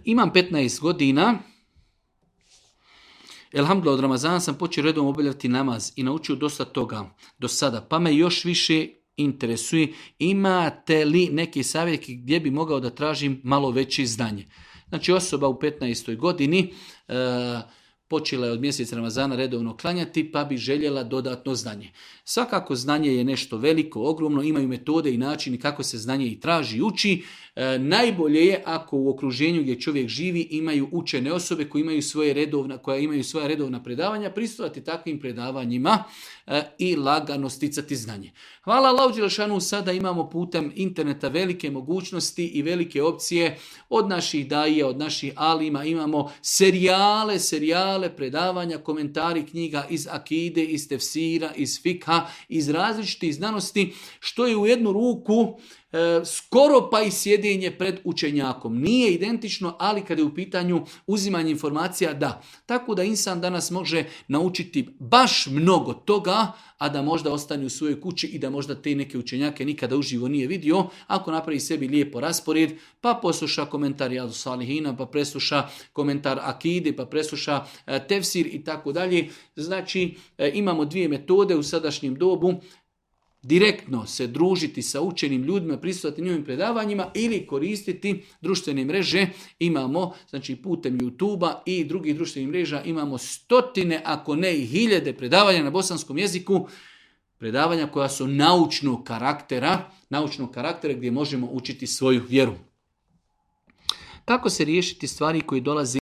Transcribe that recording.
Imam 15 godina. Elhamdulillah, od Ramazana sam počeo redom obavljati namaz i naučio dosta toga do sada, pa me još više interesuje, imate li neki savjet gdje bi mogao da tražim malo veće znanje. Znači, osoba u 15. godini počela je od mjeseca Ramazana redovno klanjati, pa bi željela dodatno znanje. Svakako znanje je nešto veliko, ogromno, imaju metode i načini kako se znanje i traži i uči. Najbolje je ako u okruženju gdje čovjek živi imaju učene osobe koja imaju svoja redovna predavanja, prisustvovati takvim predavanjima i lagano sticati znanje. Hvala Allahu dželešanu, sada imamo putem interneta velike mogućnosti i velike opcije od naših daija, od naših alima, imamo serijale predavanja, komentari knjiga iz akide, iz tefsira, iz fikha, iz različitih znanosti, što je u jednu ruku skoro pa i sjedenje pred učenjakom. Nije identično, ali kada je u pitanju uzimanje informacija, da. Tako da insan danas može naučiti baš mnogo toga, a da možda ostane u svojoj kući i da možda te neke učenjake nikada uživo nije vidio, ako napravi sebi lijepo raspored, pa posluša komentar Rijadu Salihina, pa presluša komentar akide, pa presluša tefsir i tako dalje. Znači, imamo dvije metode u sadašnjem dobu: direktno se družiti sa učenim ljudima, prisustvovati njihovim predavanjima ili koristiti društvene mreže. Imamo, znači, putem YouTube-a i drugih društvenih mreža imamo stotine, ako ne i hiljade predavanja na bosanskom jeziku, predavanja koja su naučnog karaktera gdje možemo učiti svoju vjeru. Kako se riješiti stvari koje dolaze